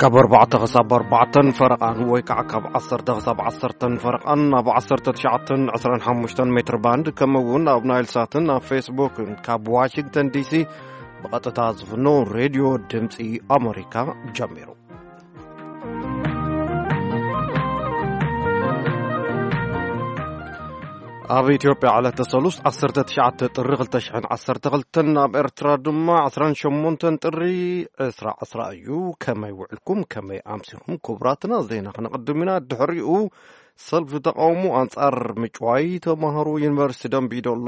ካብ ኣርባዕተ ክሳብ ኣርባዕተን ፈረቓን ወይ ከዓ ካብ ዓሰርተ ክሳብ ዓሰርተን ፈረቓን ኣብ ዓሰርተ ትሽዓተን ዕስራን ሓሙሽተን ሜትር ባንድ፣ ከምኡ እውን ኣብ ናይል ሳትን ኣብ ፌስቡክን ካብ ዋሽንግተን ዲሲ ብቐጥታ ዝፍኖ ሬድዮ ድምፂ ኣሜሪካ ጀሚሩ። ኣብ ኢትዮጵያ ዕለተ ሰሉስ ዓሰርተ ትሽዓተ ጥሪ ክልተ ሽሕን ዓሰርተ ክልተን፣ ኣብ ኤርትራ ድማ ዕስራን ሸሞንተን ጥሪ ዕስራ ዕስራ እዩ። ከመይ ውዕልኩም? ከመይ ኣምሲኹም? ክቡራትና፣ ዜና ክነቕድም ኢና። ድሕሪኡ ሰልፊ ተቃውሞ ኣንጻር ምጭዋይ ተማሃሮ ዩኒቨርሲቲ ደምቢዶሎ፣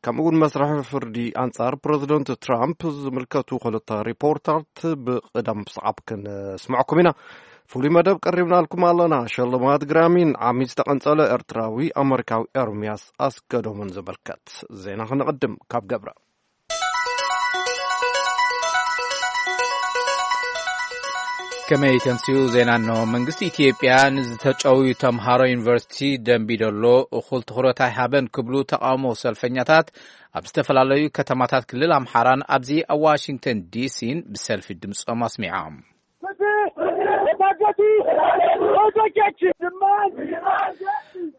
ከምኡ እውን መስርሒ ፍርዲ ኣንጻር ፕረዚደንት ትራምፕ ዝምልከቱ ክልተ ሪፖርታት ብቕደም ሰዓብ ክንስምዐኩም ኢና። ፍሉይ መደብ ቀሪብናልኩም ኣለና። ሸልማት ግራሚን ዓሚ ዝተቐንጸለ ኤርትራዊ ኣመሪካዊ ኤርምያስ ኣስገዶምን ዝምልከት ዜና ክንቕድም ካብ ገብረ። ከመይ ተምስዩ ዜና እንሆ። መንግስቲ ኢትዮጵያ ንዝተጨውዩ ተምሃሮ ዩኒቨርሲቲ ደምቢዶሎ እኹል ትኹረት ኣይሃበን ክብሉ ተቃውሞ ሰልፈኛታት ኣብ ዝተፈላለዩ ከተማታት ክልል ኣምሓራን ኣብዚ ኣብ ዋሽንግተን ዲሲን ብሰልፊ ድምፆም ኣስሚዖም።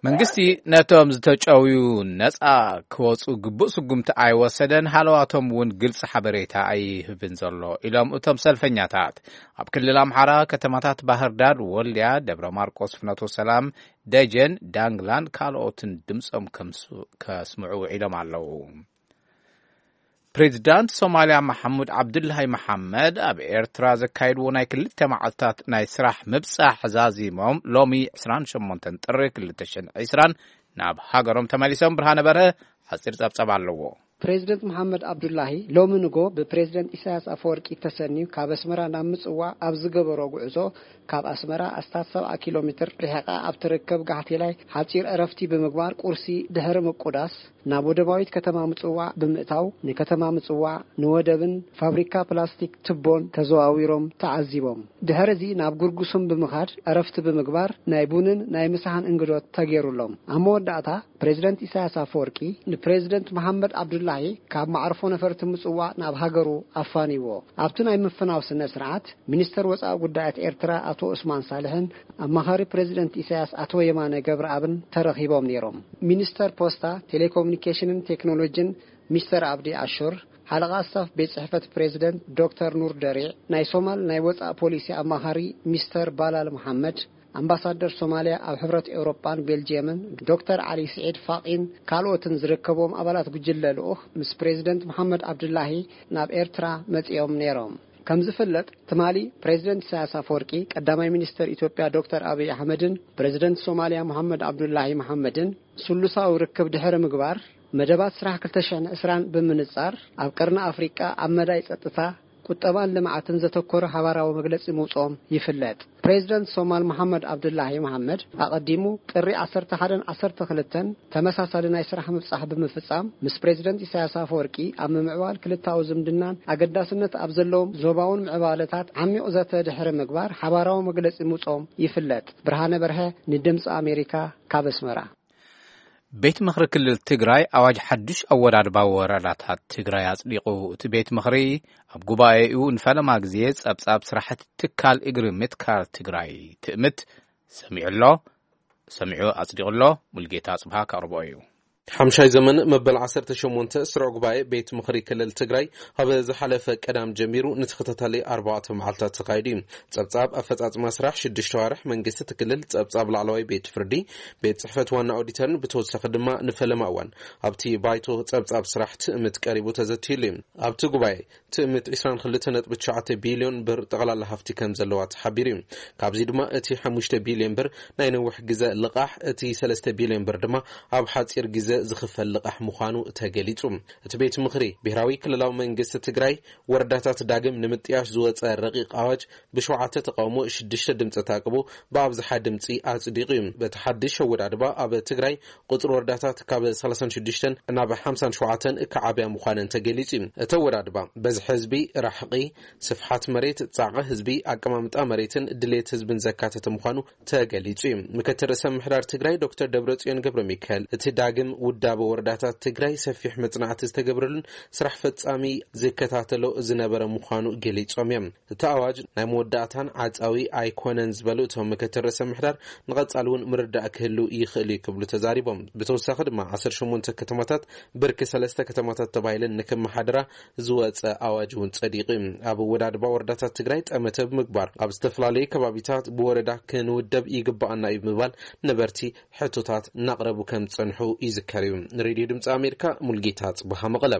መንግስቲ ነቶም ዝተጨውዩ ነፃ ክወፁ ግቡእ ስጉምቲ ኣይወሰደን፣ ሃለዋቶም እውን ግልፂ ሓበሬታ ኣይህብን ዘሎ ኢሎም እቶም ሰልፈኛታት። ኣብ ክልል ኣምሓራ ከተማታት ባህር ዳር፣ ወልድያ፣ ደብረ ማርቆስ፣ ፍኖተ ሰላም፣ ደጀን፣ ዳንግላን ካልኦትን ድምፆም ከምስ-፣ ከስምዑ ውዒሎም ኣለዉ። ፕሬዚዳንት ሶማልያ መሓሙድ ዓብዱላሂ መሓመድ ኣብ ኤርትራ ዘካየድዎ ናይ ክልተ መዓልታት ናይ ስራሕ ምብጻሕ ዛዚሞም ሎሚ ዕስራን ሸሞንተን ጥሪ ክልተ ሽሕን ዕስራን ናብ ሃገሮም ተመሊሶም። ብርሃነ በርሀ ሓጺር ጸብጻብ ኣለዎ። ፕሬዚደንት መሓመድ ዓብዱላሂ ሎሚ ንጎ ብፕሬዚደንት ኢሳያስ ኣፈወርቂ ተሰንዩ ካብ ኣስመራ ናብ ምጽዋዕ ኣብ ዝገበሮ ጉዕዞ፣ ካብ ኣስመራ ኣስታት ሰብዓ ኪሎ ሜትር ርሒቓ ኣብ ትርከብ ጋሕቴላይ ሓጺር ዕረፍቲ ብምግባር፣ ቁርሲ ድሕሪ ምቁዳስ ናብ ወደባዊት ከተማ ምጽዋዕ ብምእታው፣ ንከተማ ምጽዋዕ፣ ንወደብን ፋብሪካ ፕላስቲክ ቱቦን ተዘዋዊሮም ተዓዚቦም። ድሕሪ እዚ ናብ ጉርጉሱም ብምኻድ ዕረፍቲ ብምግባር፣ ናይ ቡንን ናይ ምሳሕን እንግዶት ተገይሩሎም። ኣብ መወዳእታ፣ ፕሬዚደንት ኢሳያስ ኣፈወርቂ ንፕሬዚደንት መሓመድ ዓብዱላሂ ካብ መዓርፎ ነፈርቲ ምጽዋዕ ናብ ሃገሩ ኣፋንይዎ። ኣብቲ ናይ ምፍናው ስነ ስርዓት፣ ሚኒስተር ወጻኢ ጉዳያት ኤርትራ ኣቶ ዑስማን ሳልሕን ኣማኻሪ ፕሬዚደንት ኢሳያስ ኣቶ የማነ ገብረኣብን ተረኺቦም ነይሮም። ሚኒስተር ፖስታ፣ ቴሌኮሙኒኬሽንን ቴክኖሎጂን ሚስተር ኣብዲ ኣሹር፣ ሓለቓ ስታፍ ቤት ጽሕፈት ፕሬዚደንት ዶክተር ኑር ደሪዕ፣ ናይ ሶማል ናይ ወጻኢ ፖሊሲ ኣማኻሪ ሚስተር ባላል መሓመድ፣ ኣምባሳደር ሶማልያ ኣብ ሕብረት ኤውሮጳን ቤልጅየምን ዶክተር ዓሊ ስዒድ ፋቒን ካልኦትን ዝርከብዎም ኣባላት ጉጅለ ልኡኽ ምስ ፕሬዚደንት መሓመድ ዓብዱላሂ ናብ ኤርትራ መጺኦም ነይሮም። ከም ዝፍለጥ፣ ትማሊ ፕሬዚደንት ኢሳያስ ኣፈወርቂ፣ ቀዳማይ ሚኒስተር ኢትዮጵያ ዶክተር ኣብይ ኣሕመድን ፕሬዚደንት ሶማልያ መሓመድ ዓብዱላሂ መሓመድን ስሉሳዊ ርክብ ድሕሪ ምግባር፣ መደባት ስራሕ ክልተ ሽሕን ዕስራን ብምንጻር፣ ኣብ ቀርኒ ኣፍሪቃ ኣብ መዳይ ጸጥታ፣ ቁጠባን ልምዓትን ዘተኮረ ሓባራዊ መግለጺ ምውጽኦም ይፍለጥ። ፕሬዚደንት ሶማል መሓመድ ዓብዱላሂ መሓመድ ኣቐዲሙ ጥሪ ዓሰርተ ሓደን ዓሰርተ ክልተን ተመሳሳሊ ናይ ስራሕ ምብጻሕ ብምፍጻም፣ ምስ ፕሬዚደንት ኢሳያስ ኣፈወርቂ ኣብ ምምዕባል ክልታዊ ዝምድናን ኣገዳስነት ኣብ ዘለዎም ዞባውን ምዕባለታት ዓሚቕ ዘተ ድሕሪ ምግባር ሓባራዊ መግለጺ ምውጽኦም ይፍለጥ። ብርሃነ በርሀ ንድምጺ ኣሜሪካ ካብ ኣስመራ። ቤት ምኽሪ ክልል ትግራይ ኣዋጅ ሓዱሽ ኣወዳድባ ወረዳታት ትግራይ ኣጽዲቑ። እቲ ቤት ምኽሪ ኣብ ጉባኤኡ ንፈለማ ግዜ ጸብጻብ ስራሕቲ ትካል እግሪ ምትካል ትግራይ ትእምት ሰሚዑ ኣሎ፣ ሰሚዑ ኣጽዲቑ ኣሎ። ሙልጌታ ኣጽብሃ ከቕርቦ እዩ። ሓምሻይ ዘመን መበል ዓሰርተ ሸሞንተ ስሩዕ ጉባኤ ቤት ምኽሪ ክልል ትግራይ ኣብ ዝሓለፈ ቀዳም ጀሚሩ ንተኸታታሊ ኣርባዕተ መዓልታት ተኻይዱ እዩ። ጸብጻብ ኣፈጻጽማ ስራሕ ሽዱሽተ ዋርሕ መንግስቲ እቲ ክልል፣ ጸብጻብ ላዕለዋይ ቤት ፍርዲ፣ ቤት ጽሕፈት ዋና ኦዲተርን ብተወሳኺ ድማ ንፈለማ እዋን ኣብቲ ባይቶ ጸብጻብ ስራሕ ትእምት ቀሪቡ ተዘትዩሉ እዩ። ኣብቲ ጉባኤ ትእምት ዕስራን ክልተ ነጥቢ ትሽዓተ ቢልዮን ብር ጠቕላላ ሃፍቲ ከም ዘለዋ ተሓቢሩ እዩ። ካብዚ ድማ እቲ ሓሙሽተ ቢልዮን ብር ናይ ነዊሕ ግዘ ልቓሕ፣ እቲ ሰለስተ ቢልዮን ብር ድማ ኣብ ሓፂር ግዘ ዝኽፈል ልቓሕ ምዃኑ ተገሊፁ። እቲ ቤት ምኽሪ ብሄራዊ ክልላዊ መንግስቲ ትግራይ ወረዳታት ዳግም ንምጥያሽ ዝወፀ ረቂቕ ኣዋጅ ብሸውዓተ ተቃውሞ ሽዱሽተ ድምፂ ተኣቅቦ ብኣብዝሓ ድምፂ ኣፅዲቑ እዩ። በቲ ሓድሽ ኣወዳድባ ኣብ ትግራይ ቁፅሪ ወረዳታት ካብ ሰላሳን ሽዱሽተን ናብ ሓምሳን ሸውዓተን ክዓብያ ምዃነን ተገሊፁ እዩ። እቲ ኣወዳድባ በዝሒ ህዝቢ፣ ራሕቂ፣ ስፍሓት መሬት፣ ፃዕቒ ህዝቢ፣ ኣቀማምጣ መሬትን ድሌት ህዝብን ዘካተተ ምዃኑ ተገሊፁ እዩ። ምክትል ርእሰ ምምሕዳር ትግራይ ዶክተር ደብረፅዮን ገብረ ሚካኤል እቲ ዳግም ውዳበ ወረዳታት ትግራይ ሰፊሕ መጽናዕቲ ዝተገብረሉን ስራሕ ፈጻሚ ዝከታተሎ ዝነበረ ምዃኑ ገሊጾም እዮም። እቲ ኣዋጅ ናይ መወዳእታን ዓጻዊ ኣይኮነን ዝበሉ እቶም ምክትል ርእሰ ምሕዳር፣ ንቐጻሊ እውን ምርዳእ ክህሉ ይኽእል እዩ ክብሉ ተዛሪቦም። ብተወሳኺ ድማ ዓሰርተ ሸሞንተ ከተማታት ብርኪ ሰለስተ ከተማታት ተባሂለን ንክመሓደራ ዝወጸ ኣዋጅ እውን ጸዲቑ እዩ። ኣብ ኣወዳድባ ወረዳታት ትግራይ ጠመተ ብምግባር ኣብ ዝተፈላለዩ ከባቢታት ብወረዳ ክንውደብ ይግባኣና እዩ ብምባል ነበርቲ ሕቶታት እናቕረቡ ከም ዝጸንሑ ይዝከር እዩ። ንሬድዮ ድምፂ ኣሜሪካ ሙልጌታ ጽብሃ መቐለ።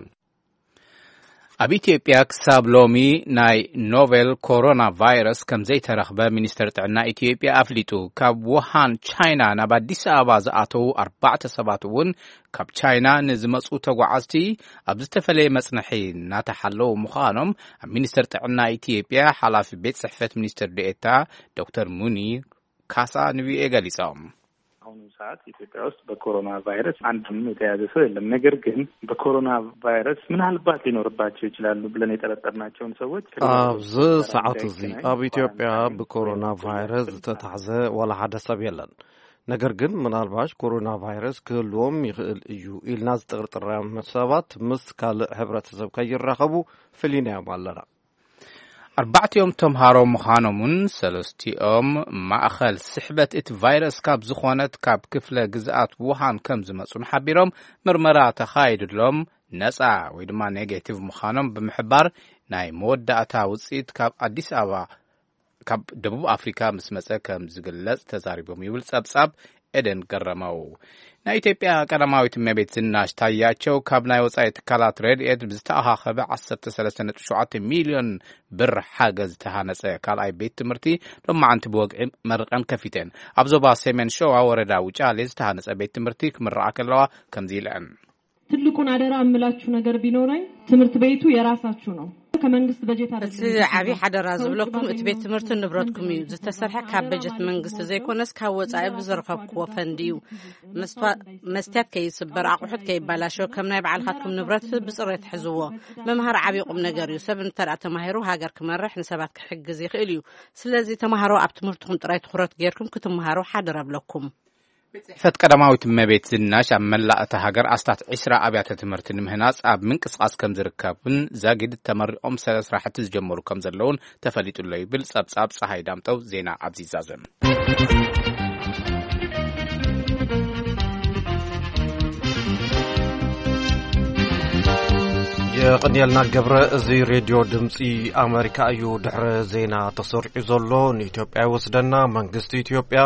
ኣብ ኢትዮጵያ ክሳብ ሎሚ ናይ ኖቬል ኮሮና ቫይረስ ከም ዘይተረኽበ ሚኒስተር ጥዕና ኢትዮጵያ ኣፍሊጡ። ካብ ውሃን ቻይና ናብ ኣዲስ ኣበባ ዝኣተዉ ኣርባዕተ ሰባት እውን ካብ ቻይና ንዝመጹ ተጓዓዝቲ ኣብ ዝተፈለየ መጽንሒ እናተሓለዉ ምዃኖም ኣብ ሚኒስተር ጥዕና ኢትዮጵያ ሓላፊ ቤት ጽሕፈት ሚኒስትር ዴኤታ ዶክተር ሙኒር ካሳ ንቪኦኤ ገሊጾም። አሁኑ ሰዓት ኢትዮጵያ ውስጥ በኮሮና ቫይረስ አንድም የተያዘ ሰው የለም። ነገር ግን በኮሮና ቫይረስ ምናልባት ሊኖርባቸው ይችላሉ ብለን የጠረጠርናቸውን ሰዎች ቅድመ ኣብዚ ጥንቃቄ ሰዓት እዚ ኣብ ኢትዮጵያ ብኮሮና ቫይረስ ዝተታሕዘ ዋላ ሓደ ሰብ የለን። ነገር ግን ምናልባሽ ኮሮና ቫይረስ ክህልዎም ይኽእል እዩ ኢልና ዝጥርጥሮም ሰባት ምስ ካልእ ሕብረተሰብ ከይራኸቡ ፍሊናዮም ኣለና። ኣርባዕቲኦም ተምሃሮ ምዃኖምን ሰለስቲኦም ማእኸል ስሕበት እቲ ቫይረስ ካብ ዝኾነት ካብ ክፍለ ግዝኣት ውሃን ከም ዝመፁን ሓቢሮም፣ ምርመራ ተኻይድሎም ነፃ ወይ ድማ ኔጌቲቭ ምዃኖም ብምሕባር፣ ናይ መወዳእታ ውፅኢት ካብ ኣዲስ ኣበባ ካብ ደቡብ ኣፍሪካ ምስ መፀ ከም ዝግለፅ ተዛሪቦም ይብል ፀብፃብ ኤደን ገረመው። ናይ ኢትዮጵያ ቀዳማዊት እመቤት ዝናሽ ታያቸው ካብ ናይ ወፃኢ ትካላት ረድኤት ብዝተኣኻኸበ ዓሰርተ ሰለስተ ነጥቢ ሸውዓተ ሚልዮን ብር ሓገዝ ዝተሃነፀ ካልኣይ ቤት ትምህርቲ ሎማዓንቲ ብወግዒ መርቐን ከፊተን። ኣብ ዞባ ሰሜን ሸዋ ወረዳ ውጫሌ ዝተሃነፀ ቤት ትምህርቲ ክምረቓ ከለዋ ከምዚ ኢለን። ትልቁን አደራ እምላችሁ ነገር ቢኖረኝ ትምህርት ቤቱ የራሳችሁ ነው። ከመንግስት በጀት እቲ ዓብዪ ሓደራ ዝብለኩም እቲ ቤት ትምህርቲ ንብረትኩም እዩ። ዝተሰርሐ ካብ በጀት መንግስቲ ዘይኮነስ ካብ ወፃኢ ብዝረኸብክዎ ፈንድ እዩ። መስትያት ከይስበር፣ ኣቑሑት ከይባላሸው ከም ናይ ባዕልኻትኩም ንብረት ብፅሬት ሕዝዎ። ምምሃር ዓብዪ ቁም ነገር እዩ። ሰብ እንተደኣ ተማሂሩ ሃገር ክመርሕ ንሰባት ክሕግዝ ይኽእል እዩ። ስለዚ ተማሃሮ ኣብ ትምህርትኹም ጥራይ ትኹረት ጌርኩም ክትመሃሩ ሓደራ እብለኩም። ጽሕፈት ቀዳማዊት እመቤት ዝናሽ ኣብ መላእ እታ ሃገር ኣስታት ዒስራ ኣብያተ ትምህርቲ ንምህናጽ ኣብ ምንቅስቓስ ከም ዝርከብን ዛጊድ ተመሪቖም ሰለ ስራሕቲ ዝጀመሩ ከም ዘለውን ተፈሊጡ ኣሎ ይብል ጸብጻብ ጸሃይ ዳምጠው ዜና ኣብዚ ዛዘም። የቕንየልና ገብረ። እዚ ሬድዮ ድምፂ ኣመሪካ እዩ። ድሕሪ ዜና ተሰሪዑ ዘሎ ንኢትዮጵያ ይወስደና። መንግስቲ ኢትዮጵያ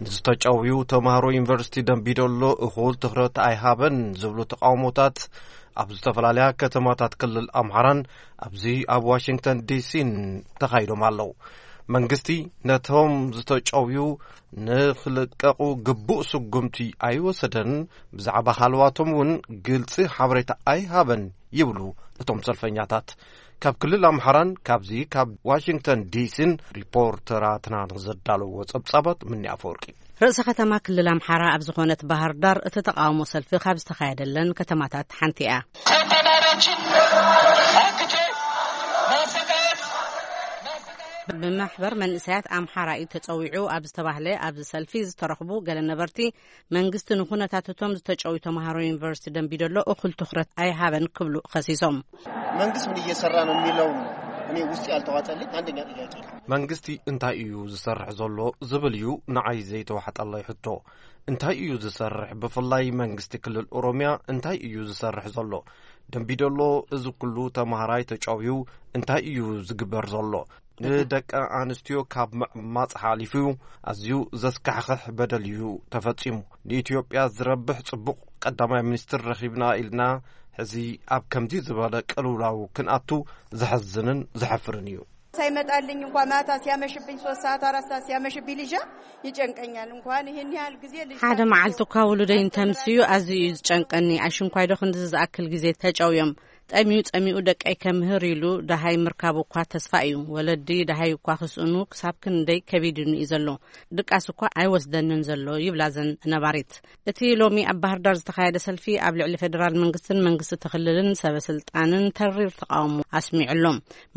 ንዝተጨውዩ ተምሃሮ ዩኒቨርሲቲ ደምቢዶሎ እኹል ትኹረት ኣይሃበን ዝብሉ ተቃውሞታት ኣብ ዝተፈላለያ ከተማታት ክልል ኣምሓራን ኣብዚ ኣብ ዋሽንግተን ዲሲን ተኻይዶም ኣለዉ። መንግስቲ ነቶም ዝተጨውዩ ንኽልቀቑ ግቡእ ስጉምቲ ኣይወሰደን፣ ብዛዕባ ሃለዋቶም እውን ግልፂ ሓበሬታ ኣይሃበን ይብሉ እቶም ሰልፈኛታት። ካብ ክልል ኣምሓራን ካብዚ ካብ ዋሽንግተን ዲሲን ሪፖርተራትና ንዘዳለዎ ጸብጻባት ምኒ ኣፈወርቂ። ርእሰ ከተማ ክልል ኣምሓራ ኣብ ዝኾነት ባህር ዳር እቲ ተቃውሞ ሰልፊ ካብ ዝተኻየደለን ከተማታት ሓንቲ እያ። ተማሪዎችን አግቶ ማሰቃየት ብማሕበር መንእሰያት ኣምሓራ እዩ ተጸዊዑ ኣብ ዝተባህለ ኣብዚ ሰልፊ ዝተረኽቡ ገለ ነበርቲ መንግስቲ ንኩነታት እቶም ዝተጨውዩ ተማሃሮ ዩኒቨርሲቲ ደምቢዶሎ እኹል ትኹረት ኣይሃበን ክብሉ ከሲሶም። መንግስት ምን እየሰራ ነው የሚለው እኔ ውስጥ ያልተዋጠልኝ አንደኛ ጥያቄ። መንግስቲ እንታይ እዩ ዝሰርሕ ዘሎ ዝብል እዩ ንዓይ ዘይተዋሕጠለይ ሕቶ። እንታይ እዩ ዝሰርሕ? ብፍላይ መንግስቲ ክልል ኦሮሚያ እንታይ እዩ ዝሰርሕ ዘሎ? ደምቢዶሎ እዚ ኩሉ ተማሃራይ ተጨውዩ እንታይ እዩ ዝግበር ዘሎ? ንደቂ ኣንስትዮ ካብ ምዕማፅ ሓሊፉ ኣዝዩ ዘስካሕኽሕ በደል እዩ ተፈፂሙ። ንኢትዮጵያ ዝረብሕ ፅቡቕ ቀዳማይ ሚኒስትር ረኺብና ኢልና ሕዚ ኣብ ከምዚ ዝበለ ቅልውላው ክንኣቱ ዘሕዝንን ዘሕፍርን እዩ። ሳይመጣልኝ እንኳ ማታ ሲያመሽብኝ ሶስት ሰዓት አራት ሰዓት ሲያመሽብኝ ልጃ ይጨንቀኛል። እንኳን ይህን ያህል ጊዜ ልጅ ሓደ መዓልቲ እኳ ውሉደይ እንተምስዩ ኣዝዩ እዩ ዝጨንቀኒ። ኣሽንኳይዶ ክንድዚ ዝኣክል ጊዜ ተጨውዮም ጠምዩ ጸሚኡ ደቀይ ከምህር ኢሉ ደሃይ ምርካቡ እኳ ተስፋ እዩ። ወለዲ ደሃይ እኳ ክስእኑ ክሳብ ክንደይ ከቢድኒ እዩ ዘሎ። ድቃስ እኳ ኣይወስደንን ዘሎ ይብላ ዘን ነባሪት። እቲ ሎሚ ኣብ ባህርዳር ዝተኻየደ ሰልፊ ኣብ ልዕሊ ፌደራል መንግስትን መንግስቲ እቲ ክልልን ሰበ ስልጣንን ተሪር ተቃውሞ ኣስሚዑ ኣሎ።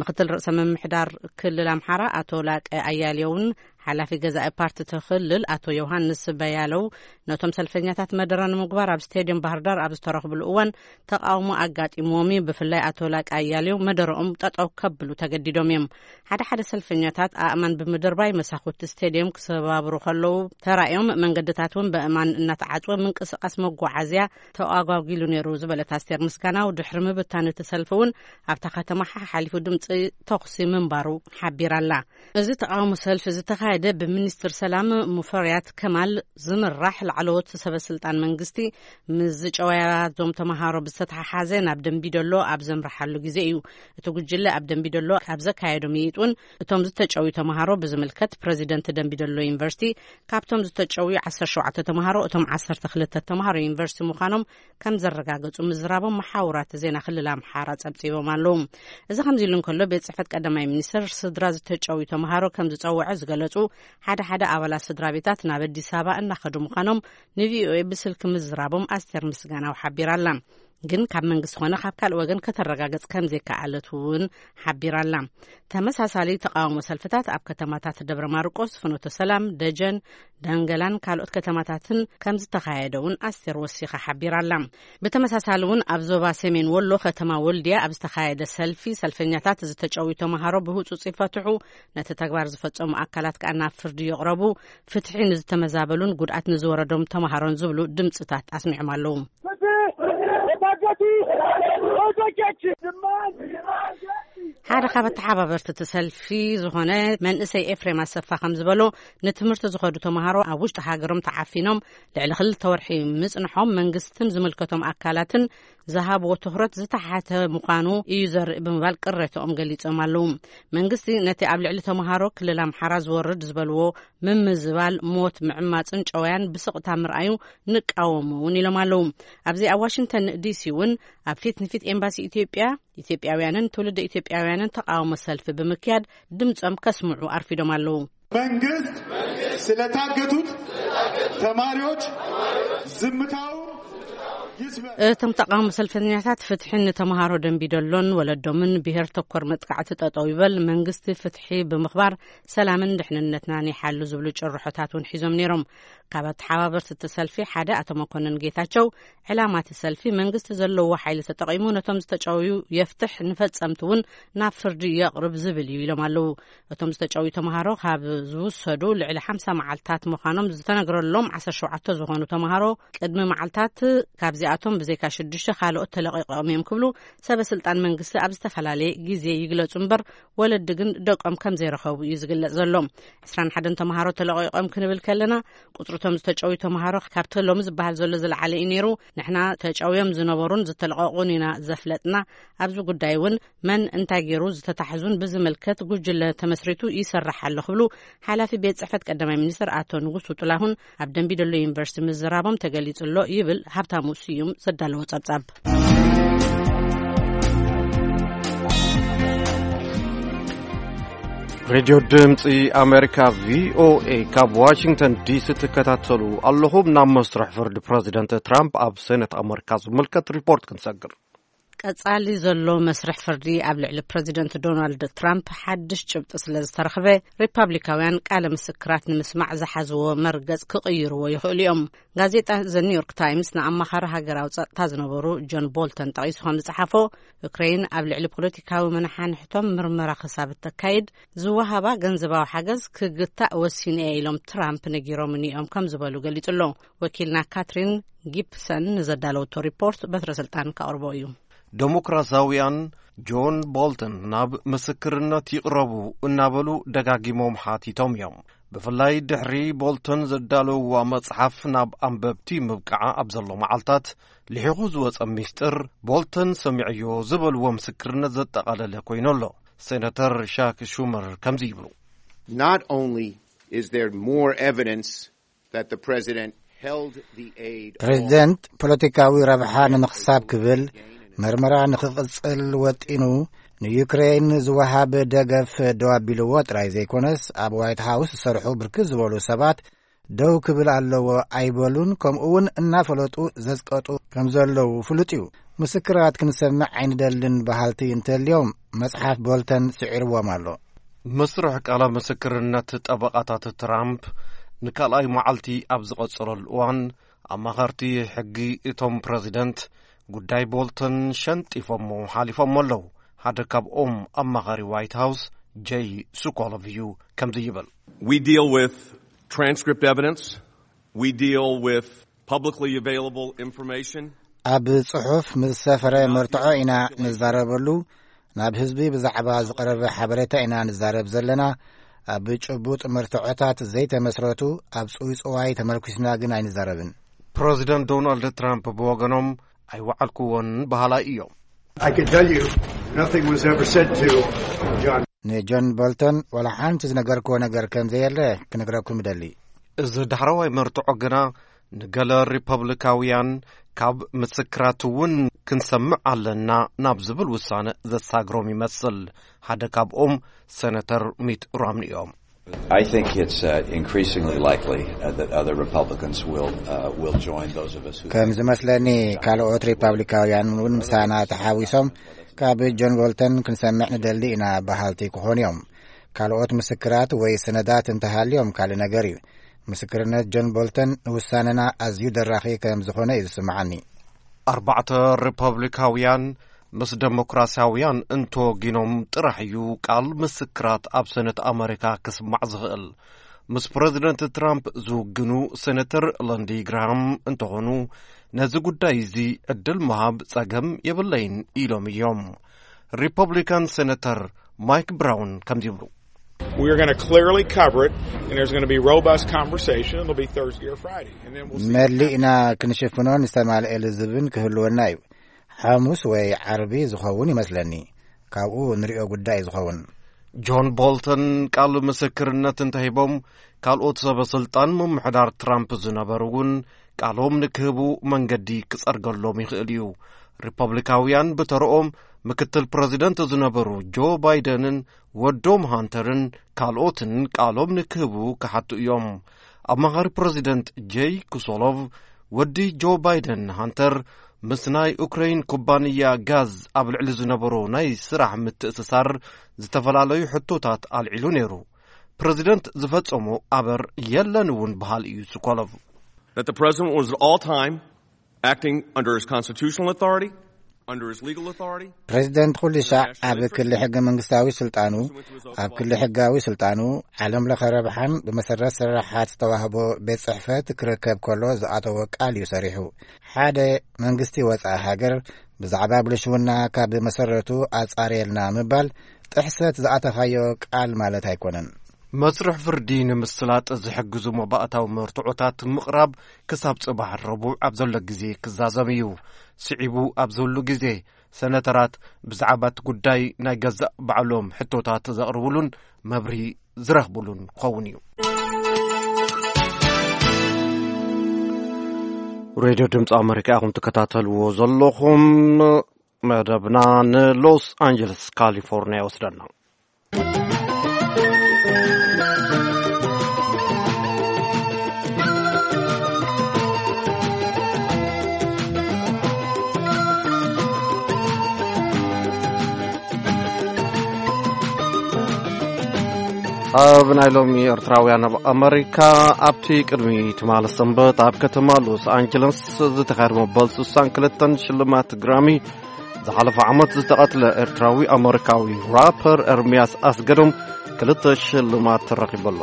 ምክትል ርእሰ ምምሕዳር ክልል ኣምሓራ ኣቶ ላቀ ኣያሌውን ሓላፊ ገዛኢ ፓርቲ እቲ ክልል ኣቶ ዮሃንስ በያለው፣ ነቶም ሰልፈኛታት መደረ ንምግባር ኣብ ስቴድየም ባህር ዳር ኣብ ዝተረኽብሉ እዋን ተቃውሞ ኣጋጢምዎም እዩ። ብፍላይ ኣቶ ላቃ ኣያሌው መደረኦም ጠጠው ከብሉ ተገዲዶም እዮም። ሓደ ሓደ ሰልፈኛታት ኣእማን ብምድርባይ መሳኹቲ ስቴድየም ክሰባብሩ ከለዉ ተራእዮም፣ መንገድታት እውን በእማን እናተዓጽወ ምንቅስቃስ መጓዓዝያ ተኣጓጒሉ ነይሩ ዝበለት ኣስቴር ምስጋናው፣ ድሕሪ ምብታን እቲ ሰልፊ እውን ኣብታ ከተማ ሓሓሊፉ ድምፂ ተኹሲ ምንባሩ ሓቢራላ። እዚ ተቃውሞ ሰልፊ ዝተኻየደ ብሚኒስትር ሰላም ሙፈሪያት ከማል ዝምራሕ ላዕለዎት ሰበ ስልጣን መንግስቲ ምስ ዝጨወያዞም ተምሃሮ ብዝተተሓሓዘ ናብ ደንቢዶሎ ኣብ ዘምርሓሉ ግዜ እዩ። እቲ ጉጅለ ኣብ ደንቢዶሎ ኣብ ዘካየዶ ምይጥ እውን እቶም ዝተጨውዩ ተምሃሮ ብዝምልከት ፕረዚደንት ደንቢዶሎ ዩኒቨርሲቲ፣ ካብቶም ዝተጨውዩ ዓሰርተ ሸውዓተ ተምሃሮ እቶም ዓሰርተ ክልተ ተምሃሮ ዩኒቨርሲቲ ምዃኖም ከም ዘረጋገጹ ምዝራቦም መሓውራት ዜና ክልል ኣምሓራ ጸብጺቦም ኣለዉ። እዚ ከምዚ ኢሉ እንከሎ፣ ቤት ጽሕፈት ቀዳማይ ሚኒስትር ስድራ ዝተጨውዩ ተምሃሮ ከም ዝጸውዐ ዝገለጹ ሓደ ሓደ ኣባላት ስድራ ቤታት ናብ ኣዲስ ኣበባ እናኸዱ ምዃኖም ንቪኦኤ ብስልኪ ምዝራቦም ኣስቴር ምስጋናው ሓቢራ ኣላ። ግን ካብ መንግስቲ ኾነ ካብ ካልእ ወገን ከተረጋገጽ ከም ዘይከኣለት እውን ሓቢራ ኣላ። ተመሳሳሊ ተቃውሞ ሰልፍታት ኣብ ከተማታት ደብረ ማርቆስ፣ ፍኖተ ሰላም፣ ደጀን፣ ዳንገላን ካልኦት ከተማታትን ከም ዝተኻየደ እውን ኣስቴር ወሲኻ ሓቢራ ኣላ። ብተመሳሳሊ እውን ኣብ ዞባ ሰሜን ወሎ ከተማ ወልድያ ኣብ ዝተኻየደ ሰልፊ፣ ሰልፈኛታት ዝተጨውዩ ተምሃሮ ብህጹጽ ይፈትሑ፣ ነቲ ተግባር ዝፈጸሙ ኣካላት ከኣ ናብ ፍርዲ ይቕረቡ፣ ፍትሒ ንዝተመዛበሉን ጉድኣት ንዝወረዶም ተምሃሮን ዝብሉ ድምጽታት ኣስሚዖም ኣለዉ። ሓደ ካብ ኣተሓባበርቲ እቲ ሰልፊ ዝኾነ መንእሰይ ኤፍሬም ኣሰፋ ከም ዝበሎ፣ ንትምህርቲ ዝኸዱ ተምሃሮ ኣብ ውሽጢ ሃገሮም ተዓፊኖም ልዕሊ ክልተ ወርሒ ምጽንሖም መንግስትን ዝምልከቶም ኣካላትን ዝሃብዎ ትኹረት ዝተሓተ ምዃኑ እዩ ዘርኢ ብምባል ቅሬታኦም ገሊጾም ኣለዉ። መንግስቲ ነቲ ኣብ ልዕሊ ተምሃሮ ክልል ኣምሓራ ዝወርድ ዝበልዎ ምምዝባል፣ ሞት፣ ምዕማጽን ጨወያን ብስቕታ ምርኣዩ ንቃወሞ እውን ኢሎም ኣለዉ። ኣብዚ ኣብ ዋሽንግተን ዲሲ እውን ኣብ ፊት ንፊት ኤምባሲ ኢትዮጵያ፣ ኢትዮጵያውያንን ትውልደ ኢትዮጵያውያንን ተቃውሞ ሰልፊ ብምክያድ ድምጾም ከስምዑ ኣርፊዶም ኣለዉ። መንግስት ስለታገቱት ተማሪዎች ዝምታው ይስበር። እቶም ተቃውሞ ሰልፈኛታት፣ ፍትሒ ንተምሃሮ ደንቢዶሎን ወለዶምን፣ ብሄር ተኮር መጥቃዕቲ ጠጠው ይበል፣ መንግስቲ ፍትሒ ብምኽባር ሰላምን ድሕንነትናን ይሓሉ ዝብሉ ጭርሖታት እውን ሒዞም ነይሮም። ካብ ኣተሓባበርቲ እቲ ሰልፊ ሓደ ኣቶ መኮንን ጌታቸው፣ ዕላማ እቲ ሰልፊ መንግስቲ ዘለዎ ሓይሊ ተጠቒሙ ነቶም ዝተጨውዩ የፍትሕ፣ ንፈጸምቲ እውን ናብ ፍርዲ የቕርብ ዝብል እዩ ኢሎም ኣለዉ። እቶም ዝተጨውዩ ተምሃሮ ካብ ዝውሰዱ ልዕሊ ሓምሳ መዓልታት ምዃኖም ዝተነግረሎም ዓሰርተ ሸውዓተ ዝኾኑ ተምሃሮ፣ ቅድሚ መዓልታት ካብዚኣቶም ብዘይካ ሽዱሽተ ካልኦት ተለቒቖም እዮም ክብሉ ሰበ ስልጣን መንግስቲ ኣብ ዝተፈላለየ ግዜ ይግለጹ እምበር፣ ወለዲ ግን ደቆም ከም ዘይረኸቡ እዩ ዝግለጽ ዘሎ። ዕስራን ሓደን ተምሃሮ ተለቒቖም ክንብል ከለና፣ ቁጽሪ እቶም ዝተጨውዩ ተምሃሮ ካብቲ ሎሚ ዝበሃል ዘሎ ዝለዓለ እዩ ነይሩ። ንሕና ተጨውዮም ዝነበሩን ዝተለቐቑን ኢና ዘፍለጥና። ኣብዚ ጉዳይ እውን መን እንታይ ገይሩ ዝተታሕዙን ብዝምልከት ጉጅለ ተመስሪቱ ይሰርሕ ኣሎ ክብሉ ሓላፊ ቤት ጽሕፈት ቀዳማይ ሚኒስትር ኣቶ ንጉሱ ጥላሁን ኣብ ደንቢዶሎ ዩኒቨርሲቲ ምዝራቦም ተገሊጹ ኣሎ ይብል ሃብታሙ ስዩም ዘዳለዎ ጸብጻብ። ሬድዮ ድምፂ ኣሜሪካ፣ ቪኦኤ፣ ካብ ዋሽንግተን ዲሲ ትከታተሉ ኣለኹም። ናብ መስርሕ ፍርዲ ፕረዚደንት ትራምፕ ኣብ ሴኔት ኣሜሪካ ዝምልከት ሪፖርት ክንሰግር። ቀጻሊ ዘሎ መስርሕ ፍርዲ ኣብ ልዕሊ ፕረዚደንት ዶናልድ ትራምፕ ሓድሽ ጭብጢ ስለ ዝተረኽበ፣ ሪፓብሊካውያን ቃለ ምስክራት ንምስማዕ ዝሓዝዎ መርገጽ ክቕይርዎ ይኽእሉ እዮም። ጋዜጣ ዘ ኒውዮርክ ታይምስ ንኣማኻሪ ሃገራዊ ጸጥታ ዝነበሩ ጆን ቦልተን ጠቒሱ ከም ዝጸሓፎ፣ ዩክሬን ኣብ ልዕሊ ፖለቲካዊ መናሓንሕቶም ምርመራ ክሳብ እተካይድ፣ ዝወሃባ ገንዘባዊ ሓገዝ ክግታእ ወሲነ እየ ኢሎም ትራምፕ ነጊሮምኒ እዮም ከም ዝበሉ ገሊጹ ኣሎ። ወኪልና ካትሪን ጊፕሰን ንዘዳለወቶ ሪፖርት በትረ ስልጣን ከቕርቦ እዩ። ዴሞክራሲያውያን ጆን ቦልተን ናብ ምስክርነት ይቕረቡ እናበሉ ደጋጊሞም ሓቲቶም እዮም። ብፍላይ ድሕሪ ቦልተን ዘዳለውዋ መጽሓፍ ናብ ኣንበብቲ ምብቃዓ ኣብ ዘሎ መዓልታት፣ ልሒኹ ዝወጸ ሚስጥር፣ ቦልተን ሰሚዐዮ ዝበልዎ ምስክርነት ዘጠቓለለ ኮይኑ ኣሎ። ሴናተር ሻክ ሹመር ከምዚ ይብሉ። Not only is there more evidence that the president held the aid ፕሬዚደንት ፖለቲካዊ ረብሓ ንምኽሳብ ክብል መርመራ ንኽቕጽል ወጢኑ፣ ንዩክሬን ዝወሃብ ደገፍ ደው ኣቢልዎ ጥራይ ዘይኮነስ፣ ኣብ ዋይት ሃውስ ዝሰርሑ ብርክት ዝበሉ ሰባት ደው ክብል ኣለዎ ኣይበሉን፣ ከምኡ እውን እናፈለጡ ዘጽቀጡ ከም ዘለዉ ፍሉጥ እዩ። ምስክራት ክንሰምዕ ኣይንደልን በሃልቲ እንተልዮም፣ መጽሓፍ ቦልተን ስዒርዎም ኣሎ። መስርሕ ቃለ ምስክርነት ጠበቓታት ትራምፕ ንካልኣይ መዓልቲ ኣብ ዝቐጸለሉ እዋን፣ ኣማኸርቲ ሕጊ እቶም ፕረዚደንት ጉዳይ ቦልተን ሸንጢፎሞ ሓሊፎሞ ኣለዉ። ሓደ ካብኦም ኣማኻሪ ዋይት ሃውስ ጀይ ሱኮሎቭ እዩ። ከምዚ ይብል። We deal with transcript evidence. We deal with publicly available information. ኣብ ጽሑፍ ምስ ሰፈረ መርትዖ ኢና ንዛረበሉ። ናብ ህዝቢ ብዛዕባ ዝቐረበ ሓበሬታ ኢና ንዛረብ ዘለና። ኣብ ጭቡጥ መርትዖታት ዘይተመስረቱ፣ ኣብ ጽውጽዋይ ተመርኩስና ግን ኣይንዛረብን። ፕረዚደንት ዶናልድ ትራምፕ ብወገኖም ኣይወዓልኩዎን በሃላይ እዮም። I can tell you, nothing was ever said to John. ንጆን ቦልተን ዋላ ሓንቲ ዝነገርክዎ ነገር ከም ዘየለ ክነግረኩም እደሊ። እዚ ዳሕረዋይ መርትዖ ግና ንገለ ሪፐብሊካውያን ካብ ምስክራት እውን ክንሰምዕ ኣለና ናብ ዝብል ውሳነ ዘሳግሮም ይመስል። ሓደ ካብኦም ሰነተር ሚት ሮምኒ እዮም። I think it's uh, increasingly likely uh, that other Republicans will uh, will join those of us who ከም ዝመስለኒ ካልኦት ሪፐብሊካውያን እውን ምሳና ተሓዊሶም ካብ ጆን ቦልተን ክንሰምዕ ንደሊ ኢና በሃልቲ ክኾኑ እዮም። ካልኦት ምስክራት ወይ ሰነዳት እንተሃልዮም ካልእ ነገር እዩ። ምስክርነት ጆን ቦልተን ንውሳነና ኣዝዩ ደራኺ ከም ዝኾነ እዩ ዝስምዓኒ። ኣርባዕተ ሪፐብሊካውያን ምስ ደሞክራሲያውያን እንተወጊኖም ጥራሕ እዩ ቃል ምስክራት ኣብ ሰነት ኣመሪካ ክስማዕ ዝኽእል። ምስ ፕረዚደንት ትራምፕ ዝውግኑ ሴነተር ለንዲ ግራሃም እንተኾኑ፣ ነዚ ጉዳይ እዚ ዕድል ምሃብ ጸገም የብለይን ኢሎም እዮም። ሪፐብሊካን ሴነተር ማይክ ብራውን ከምዚ ይብሉ። We are going to clearly cover it, and there's going to be robust conversation. It'll be Thursday or Friday, and then we'll see. መሊእና ክንሽፍኖን ዝተማልኤ ልዝብን ክህልወና እዩ። ሓሙስ ወይ ዓርቢ ዝኸውን ይመስለኒ። ካብኡ ንሪኦ ጉዳይ ዝኸውን። ጆን ቦልተን ቃል ምስክርነት እንተሂቦም፣ ካልኦት ሰበ ስልጣን ምምሕዳር ትራምፕ ዝነበሩ እውን ቃሎም ንክህቡ መንገዲ ክጸርገሎም ይኽእል እዩ። ሪፐብሊካውያን ብተረኦም ምክትል ፕረዚደንት ዝነበሩ ጆ ባይደንን ወዶም ሃንተርን ካልኦትን ቃሎም ንክህቡ ክሓቱ እዮም። ኣማኻሪ ፕረዚደንት ጄይ ኩሶሎቭ፣ ወዲ ጆ ባይደን ሃንተር ምስ ናይ ኡክረይን ኩባንያ ጋዝ ኣብ ልዕሊ ዝነበሮ ናይ ስራሕ ምትእስሳር ዝተፈላለዩ ሕቶታት ኣልዒሉ ነይሩ። ፕረዚደንት ዝፈጸሞ ኣበር የለን እውን በሃል እዩ ስኮሎቭ። That the president was at all time acting under his constitutional authority, under his legal authority. ፕሬዚደንት ኩሉ ሻዕ ኣብ ክሊ ሕገ መንግስታዊ ስልጣኑ፣ ኣብ ክሊ ሕጋዊ ስልጣኑ፣ ዓለም ለኸ ረብሓን ብመሰረት ስራሓት ዝተዋህቦ ቤት ጽሕፈት ክረከብ ከሎ ዝኣተዎ ቃል እዩ ሰሪሑ። ሓደ መንግስቲ ወጻኢ ሃገር ብዛዕባ ብልሽውና ካብ መሰረቱ ኣጻርየልና ምባል ጥሕሰት ዝኣተኻዮ ቃል ማለት ኣይኮነን። መስርሕ ፍርዲ ንምስላጥ ዝሕግዙ መባእታዊ መርትዖታት ምቕራብ ክሳብ ጽባሕ ረቡዕ ኣብ ዘሎ ግዜ ክዛዘም እዩ። ስዒቡ ኣብ ዘሉ ግዜ ሰነተራት ብዛዕባ እቲ ጉዳይ ናይ ገዛእ ባዕሎም ሕቶታት ዘቕርብሉን መብርሂ ዝረኽብሉን ክኸውን እዩ። ሬድዮ ድምፂ ኣመሪካ ኢኹም ትከታተልዎ ዘለኹም። መደብና ንሎስ ኣንጀለስ ካሊፎርኒያ ይወስደና። ኣብ ናይ ሎሚ ኤርትራውያን ኣብ ኣመሪካ፣ ኣብቲ ቅድሚ ትማሊ ሰንበት ኣብ ከተማ ሎስ ኣንጀለስ ዝተኻየደ መበል ስሳን ክልተን ሽልማት ግራሚ፣ ዝሓለፈ ዓመት ዝተቐትለ ኤርትራዊ ኣመሪካዊ ራፐር ኤርምያስ ኣስገዶም ክልተ ሽልማት ተረኺቡ ኣሎ።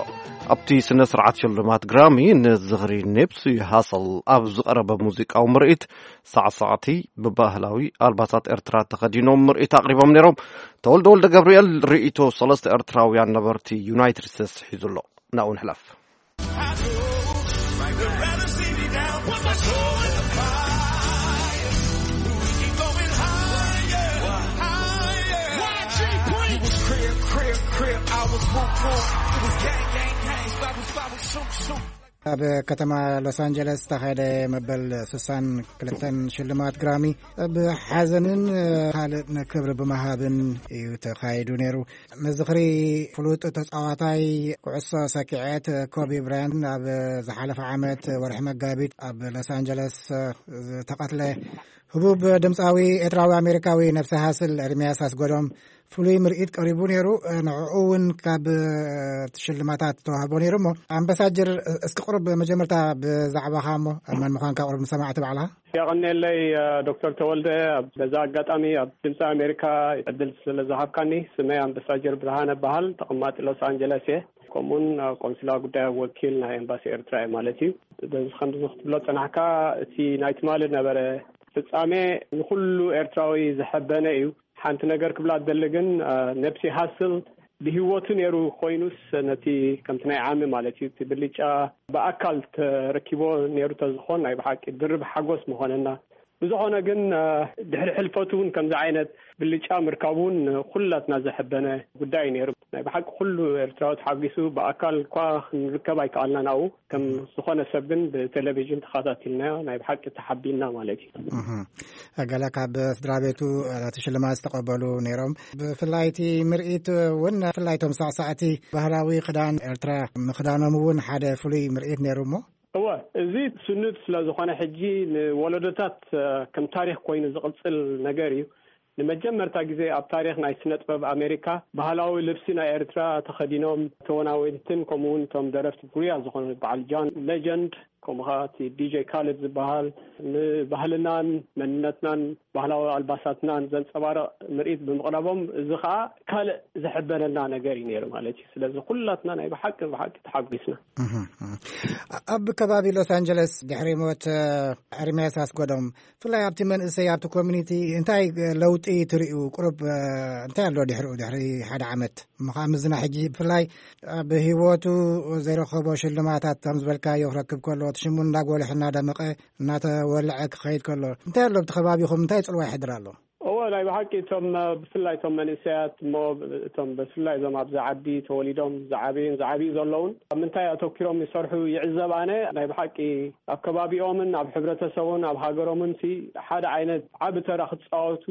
ኣብቲ ስነ ስርዓት ሽልማት ግራሚ ንዝኽሪ ኔፕሲ ሃሰል ኣብ ዝቐረበ ሙዚቃዊ ምርኢት፣ ሳዕሳዕቲ ብባህላዊ ኣልባሳት ኤርትራ ተኸዲኖም ምርኢት ኣቕሪቦም ነይሮም። ተወልደ ወልደ ገብርኤል ርእይቶ ሰለስተ ኤርትራውያን ነበርቲ ዩናይትድ ስቴትስ ሒዙ ኣሎ። ናብኡ ንሕለፍ። ኣብ ከተማ ሎስ ኣንጀለስ ዝተኻየደ መበል ስሳን ክልተን ሽልማት ግራሚ ብሓዘንን ካልእ ክብሪ ብምሃብን እዩ ተኻይዱ ነይሩ። ንዝኽሪ ፍሉጥ ተጻዋታይ ኩዕሶ ሰኪዐት ኮቢ ብራያንት ኣብ ዝሓለፈ ዓመት ወርሒ መጋቢት ኣብ ሎስ ኣንጀለስ ዝተቐትለ ህቡብ ድምጻዊ ኤርትራዊ ኣሜሪካዊ ነፍሲ ሃስል ኤርምያስ ኣስገዶም ፍሉይ ምርኢት ቀሪቡ ነይሩ። ንዕኡ እውን ካብ ሽልማታት ተዋህቦ ነይሩ። እሞ ኣምባሳጀር፣ እስኪ ቁሩብ መጀመርታ ብዛዕባኻ እሞ መን ምዃንካ ቁሩብ ንሰማዕቲ ባዕልኻ። የቐንየለይ ዶክተር ተወልደ፣ በዛ ኣጋጣሚ ኣብ ድምፂ ኣሜሪካ ዕድል ስለ ዝሃብካኒ። ስመይ ኣምባሳጀር ብርሃነ በሃል፣ ተቐማጢ ሎስ ኣንጀለስ እየ። ከምኡውን ቆንስላ ጉዳይ ወኪል ናይ ኤምባሲ ኤርትራ እየ ማለት እዩ። በዚ ከምዚ ክትብሎ ፀናሕካ፣ እቲ ናይ ትማሊ ነበረ ፍጻሜ ንኹሉ ኤርትራዊ ዘሐበነ እዩ። ሓንቲ ነገር ክብላ ደሊ ግን፣ ነብሲ ሃስል ብህይወቱ ነይሩ ኮይኑስ፣ ነቲ ከምቲ ናይ ዓሚ ማለት እዩ፣ እቲ ብልጫ ብኣካል ተረኪቦ ነይሩ ተዝኾን፣ ናይ ብሓቂ ድርብ ሓጎስ ምኾነና። ብዝኾነ ግን፣ ድሕሪ ሕልፈቱ እውን ከምዚ ዓይነት ብልጫ ምርካቡ እውን ኩላትና ዘሐበነ ጉዳይ ነይሩ። ናይ ብሓቂ ኩሉ ኤርትራዊ ተሓጒሱ፣ ብኣካል እኳ ክንርከብ ኣይከኣልናን ኣብኡ። ከም ዝኾነ ሰብ ግን ብቴሌቪዥን ተኸታቲልናዮ፣ ናይ ብሓቂ ተሓቢንና ማለት እዩ። ገለ ካብ ስድራ ቤቱ እቲ ሽልማት ዝተቐበሉ ነይሮም። ብፍላይ እቲ ምርኢት እውን፣ ብፍላይ እቶም ሳዕሳዕቲ ባህላዊ ክዳን ኤርትራ ምኽዳኖም እውን ሓደ ፍሉይ ምርኢት ነይሩ። እሞ እወ፣ እዚ ስኑድ ስለ ዝኾነ፣ ሕጂ ንወለዶታት ከም ታሪኽ ኮይኑ ዝቕጽል ነገር እዩ። ንመጀመርታ ግዜ ኣብ ታሪኽ ናይ ስነ ጥበብ ኣሜሪካ፣ ባህላዊ ልብሲ ናይ ኤርትራ ተኸዲኖም ተወናወንትን ከምኡ እውን እቶም ደረፍቲ ፍሉያት ዝኾኑ፣ በዓል ጃን ሌጀንድ፣ ከምኡ ኸዓ እቲ ዲጄ ካሊድ ዝበሃል፣ ንባህልናን መንነትናን ባህላዊ ኣልባሳትናን ዘንጸባርቕ ምርኢት ብምቕራቦም፣ እዚ ኸዓ ካልእ ዘሐበነና ነገር እዩ ነይሩ ማለት እዩ። ስለዚ ኩላትና ናይ ብሓቂ፣ ብሓቂ ተሓጒስና። ኣብ ከባቢ ሎስ ኣንጀለስ ድሕሪ ሞት ኤርምያስ ኣስገዶም፣ ብፍላይ ኣብቲ መንእሰይ፣ ኣብቲ ኮሚኒቲ እንታይ ለውጢ ትርእዩ? ቁሩብ እንታይ ኣሎ ድሕሪኡ፣ ድሕሪ ሓደ ዓመት? እሞ ከዓ ምስና ሕጂ ብፍላይ ኣብ ህይወቱ ዘይረኸቦ ሽልማታት ከም ዝበልካዮ ክረክብ ከሎ፣ እቲ ሽሙ እንዳጎልሐ፣ እናደመቐ፣ እናተወልዐ ክኸይድ ከሎ፣ እንታይ ኣሎ ኣብቲ ከባቢኹም? እንታይ ጽልዋ ይሕድር ኣሎ? እወ፣ ናይ ብሓቂ እቶም፣ ብፍላይ እቶም መንእሰያት እሞ፣ እቶም ብፍላይ እዞም ኣብዚ ዓዲ ተወሊዶም ዝዓበዩን ዝዓብዩ ዘለውን፣ ኣብ ምንታይ ኣተኪሮም ይሰርሑ ይዕዘብ ኣነ። ናይ ብሓቂ ኣብ ከባቢኦምን ኣብ ሕብረተሰቡን ኣብ ሃገሮምን ሲ ሓደ ዓይነት ዓቢ ተራ ክጻወቱ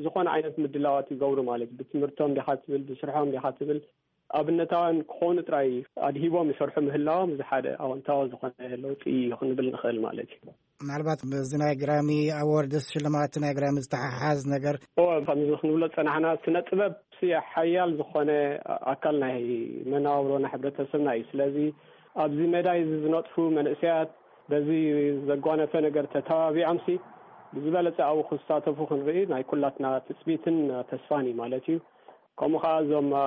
ዝኾነ ዓይነት ምድላዋት ይገብሩ ማለት እዩ። ብትምህርቶም ዲኻ ትብል፣ ብስርሖም ዲኻ ትብል፣ ኣብነታውያን ክኾኑ ጥራይ ኣድሂቦም ይሰርሑ ምህላዎም፣ እዚ ሓደ ኣወንታዊ ዝኾነ ለውጢ እዩ ክንብል ንኽእል ማለት እዩ። ምናልባት ምስዚ ናይ ግራሚ ኣዎርድስ፣ ሽልማት ናይ ግራሚ ዝተሓሓዝ ነገር? እወ፣ ከምዚ ክንብሎ ዝጸናሕና፣ ስነ ጥበብ ሲ ሓያል ዝኾነ ኣካል ናይ መነባብሮና ሕብረተሰብና እዩ። ስለዚ ኣብዚ ሜዳ እዚ ዝነጥፉ መንእሰያት በዚ ዘጓነፈ ነገር ተተባቢዖምሲ ብዝበለጸ ኣብኡ ክሳተፉ ክንርኢ ናይ ኩላትና ትጽቢትን ተስፋን እዩ ማለት እዩ። ከምኡ ኸዓ እዞም፣ አ፣